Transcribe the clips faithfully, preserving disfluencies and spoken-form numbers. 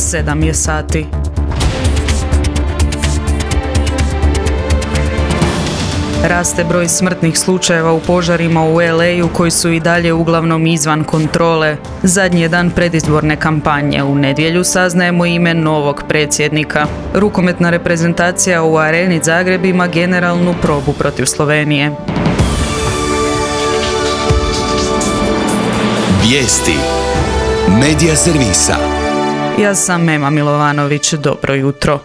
sedam je sati. Raste broj smrtnih slučajeva u požarima u el ej u koji su i dalje uglavnom izvan kontrole. Zadnji je dan predizborne kampanje. U nedjelju saznajemo ime novog predsjednika. Rukometna reprezentacija u Areni Zagreb ima generalnu probu protiv Slovenije. Vijesti Medija servisa. Ja sam Mema Milovanović, dobro jutro.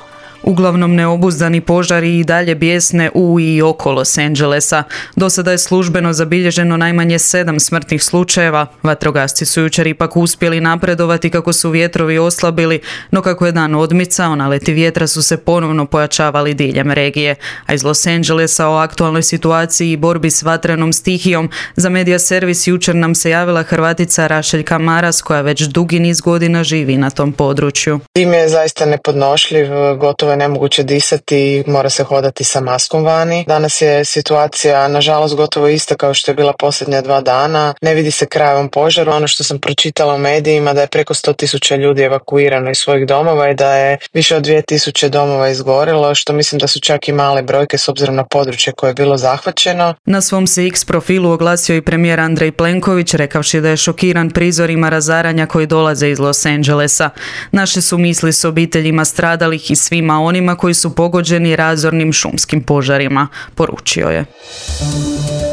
Uglavnom neobuzdani požari i dalje bijesne u i oko Los Angelesa. Do sada je službeno zabilježeno najmanje sedam smrtnih slučajeva. Vatrogasci su jučer ipak uspjeli napredovati kako su vjetrovi oslabili, no kako je dan odmicao, naleti vjetra su se ponovno pojačavali diljem regije. A iz Los Angelesa o aktualnoj situaciji i borbi s vatrenom stihijom za Medija servis jučer nam se javila Hrvatica Rašeljka Maras, koja već dugi niz godina živi na tom području. Dim je zaista nepodnošljiv, gotovo je nemoguće disati i mora se hodati sa maskom vani. Danas je situacija nažalost gotovo ista kao što je bila posljednja dva dana. Ne vidi se kraj ovom požaru. Ono što sam pročitala u medijima da je preko sto tisuća ljudi evakuirano iz svojih domova i da je više od dvije tisuće domova izgorilo, što mislim da su čak i male brojke s obzirom na područje koje je bilo zahvaćeno. Na svom se X profilu oglasio i premijer Andrej Plenković, rekavši da je šokiran prizorima razaranja koji dolaze iz Los Angelesa. Naše su misli s obiteljima stradalih i svima onima koji su pogođeni razornim šumskim požarima, poručio je.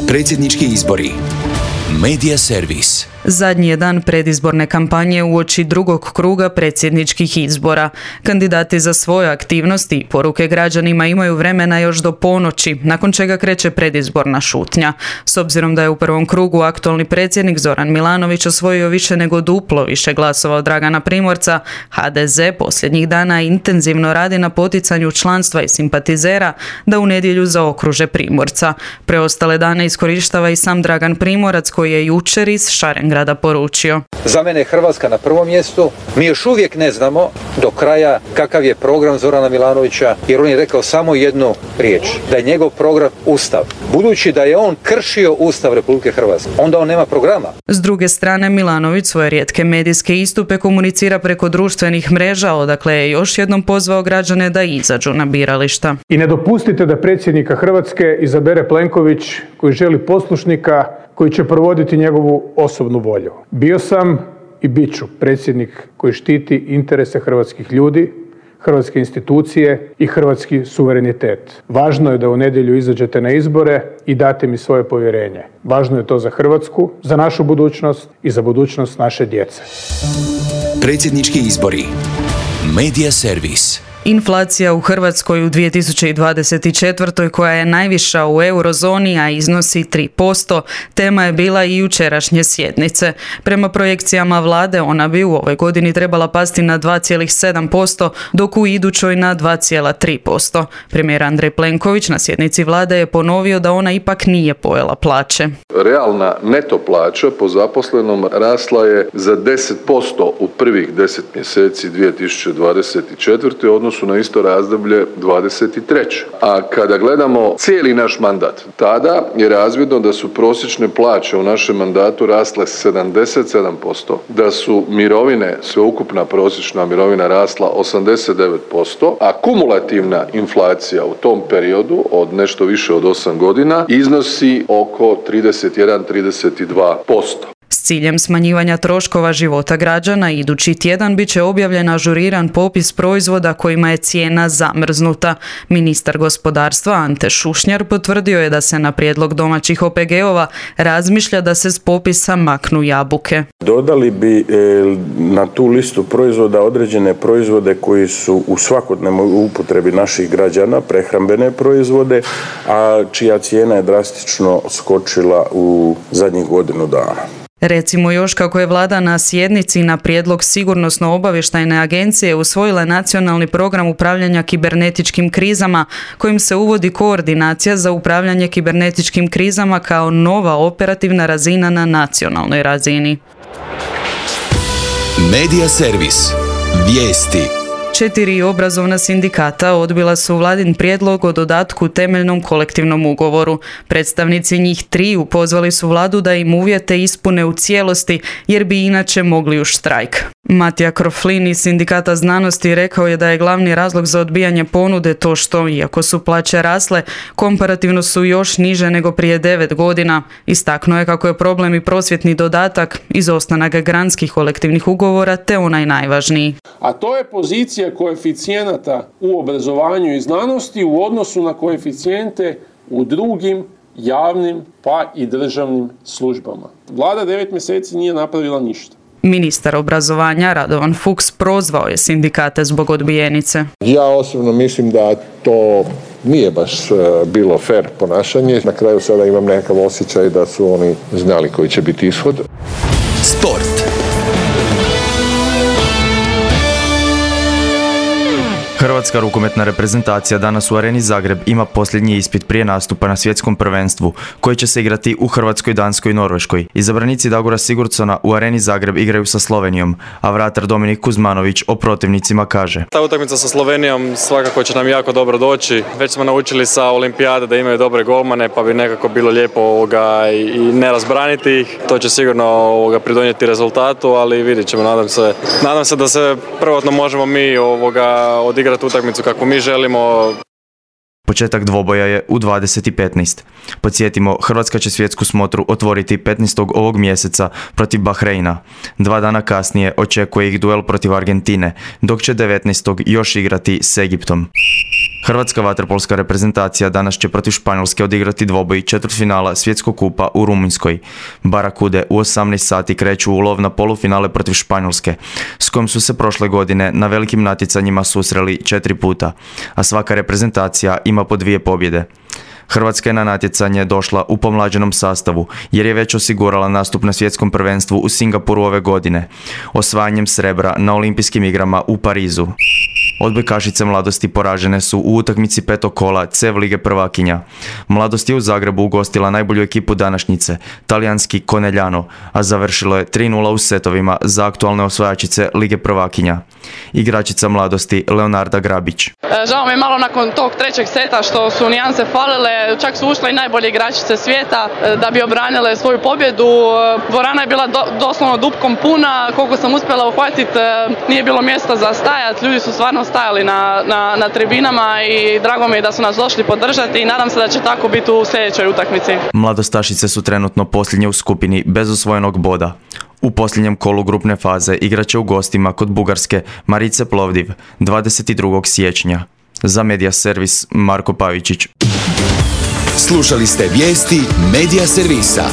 Predsjednički izbori. Medija servis. Zadnji je dan predizborne kampanje uoči drugog kruga predsjedničkih izbora. Kandidati za svoje aktivnosti i poruke građanima imaju vremena još do ponoći, nakon čega kreće predizborna šutnja. S obzirom da je u prvom krugu aktualni predsjednik Zoran Milanović osvojio više nego duplo više glasova od Dragana Primorca, ha de ze posljednjih dana intenzivno radi na poticanju članstva i simpatizera da u nedjelju zaokruže Primorca. Preostale dane iskorištava i sam Dragan Primorac, koji je jučer iz Šarengrada grada poručio. Za mene je Hrvatska na prvom mjestu. Mi još uvijek ne znamo do kraja kakav je program Zorana Milanovića, jer on je rekao samo jednu riječ, da je njegov program Ustav. Budući da je on kršio Ustav Republike Hrvatske, onda on nema programa. S druge strane, Milanović svoje rijetke medijske istupe komunicira preko društvenih mreža, odakle je još jednom pozvao građane da izađu na birališta. I ne dopustite da predsjednika Hrvatske izabere Plenković, koji želi poslušnika koji će provoditi njegovu osobnu volju. Bio sam i bit ću predsjednik koji štiti interese hrvatskih ljudi, hrvatske institucije i hrvatski suverenitet. Važno je da u nedjelju izađete na izbore i date mi svoje povjerenje. Važno je to za Hrvatsku, za našu budućnost i za budućnost naše djece. Predsjednički izbori. Medija servis. Inflacija u Hrvatskoj u dvije tisuće dvadeset četvrtoj koja je najviša u eurozoni, a iznosi tri posto, tema je bila i jučerašnje sjednice. Prema projekcijama vlade ona bi u ovoj godini trebala pasti na dva zarez sedam posto, dok u idućoj na dva zarez tri posto. Premijer Andrej Plenković na sjednici vlade je ponovio da ona ipak nije pojela plaće. Realna neto plaća po zaposlenom rasla je za deset posto u prvih deset mjeseci dvije tisuće dvadeset četvrte. odnosno su na isto razdoblje dvadeset treće. A kada gledamo cijeli naš mandat, tada je razvidno da su prosječne plaće u našem mandatu rasle sedamdeset sedam posto, da su mirovine, sveukupna prosječna mirovina rasla osamdeset devet posto, a kumulativna inflacija u tom periodu od nešto više od osam godina iznosi oko trideset jedan do trideset dva posto. S ciljem smanjivanja troškova života građana, idući tjedan bit će objavljen ažuriran popis proizvoda kojima je cijena zamrznuta. Ministar gospodarstva Ante Šušnjar potvrdio je da se na prijedlog domaćih o pe ge ova razmišlja da se s popisa maknu jabuke. Dodali bi e, na tu listu proizvoda određene proizvode koji su u svakodnevnoj upotrebi naših građana, prehrambene proizvode, a čija cijena je drastično skočila u zadnjih godinu dana. Recimo još kako je vlada na sjednici na prijedlog Sigurnosno-obavještajne agencije usvojila nacionalni program upravljanja kibernetičkim krizama, kojim se uvodi koordinacija za upravljanje kibernetičkim krizama kao nova operativna razina na nacionalnoj razini. Medija servis. Vijesti. Četiri obrazovna sindikata odbila su vladin prijedlog o dodatku temeljnom kolektivnom ugovoru. Predstavnici njih triju pozvali su vladu da im uvjete ispune u cijelosti jer bi inače mogli u štrajk. Matija Kroflin iz Sindikata znanosti rekao je da je glavni razlog za odbijanje ponude to što, iako su plaće rasle, komparativno su još niže nego prije devet godina. Istaknuo je kako je problem i prosvjetni dodatak, izostanak granskih kolektivnih ugovora te onaj najvažniji. A to je pozicija koeficijenata u obrazovanju i znanosti u odnosu na koeficijente u drugim javnim pa i državnim službama. Vlada devet mjeseci nije napravila ništa. Ministar obrazovanja Radovan Fuchs prozvao je sindikate zbog odbijenice. Ja osobno mislim da to nije baš bilo fer ponašanje. Na kraju sada imam nekakav osjećaj da su oni znali koji će biti ishod. Sport. Hrvatska rukometna reprezentacija danas u Areni Zagreb ima posljednji ispit prije nastupa na svjetskom prvenstvu, koji će se igrati u Hrvatskoj, Danskoj i Norveškoj. Izabranici Dagora Sigurdsona u Areni Zagreb igraju sa Slovenijom, a vratar Dominik Kuzmanović o protivnicima kaže: Ta utakmica sa Slovenijom svakako će nam jako dobro doći. Već smo naučili sa Olimpijade da imaju dobre golmane, pa bi nekako bilo lijepo ovoga i ne razbraniti ih. To će sigurno ovoga pridonijeti rezultatu, ali vidjet ćemo, nadam se, nadam se da se prvotno možemo mi ovoga odigrati utakmicu kako mi želimo. Početak dvoboja je u dvadeset i petnaest. Podsjetimo, Hrvatska će svjetsku smotru otvoriti petnaestog ovog mjeseca protiv Bahreina. Dva dana kasnije očekuje ih duel protiv Argentine, dok će devetnaestog još igrati s Egiptom. Hrvatska vaterpolska reprezentacija danas će protiv Španjolske odigrati dvoboj četvrtfinala svjetskog kupa u Rumunjskoj. Barakude u osamnaest sati kreću u lov na polufinale protiv Španjolske, s kojom su se prošle godine na velikim natjecanjima susreli četiri puta, a svaka reprezentacija ima po dvije pobjede. Hrvatska je na natjecanje došla u pomlađenom sastavu, jer je već osigurala nastup na svjetskom prvenstvu u Singapuru ove godine, osvajanjem srebra na olimpijskim igrama u Parizu. Odbojkašice Mladosti poražene su u utakmici petog kola C E V Lige prvakinja. Mladost je u Zagrebu ugostila najbolju ekipu današnjice, talijanski Conegliano, a završilo je tri nula u setovima za aktualne osvajačice Lige prvakinja. Igračica Mladosti Leonarda Grabić. Žao mi je malo nakon tog trećeg seta što su nijanse falile, čak su ušle i najbolje igračice svijeta da bi obranile svoju pobjedu. Dvorana je bila do, doslovno dupkom puna, koliko sam uspjela uhvatiti, nije bilo mjesta za stajat, ljudi su stvarno stajali na, na, na tribinama i drago mi je da su nas došli podržati i nadam se da će tako biti u sljedećoj utakmici. Mladostašice su trenutno posljednje u skupini bez osvojenog boda. U posljednjem kolu grupne faze igraće u gostima kod Bugarske Marice Plovdiv dvadeset drugog siječnja. Za Media Servis Marko Pavičić. Slušali ste vijesti Media Servisa.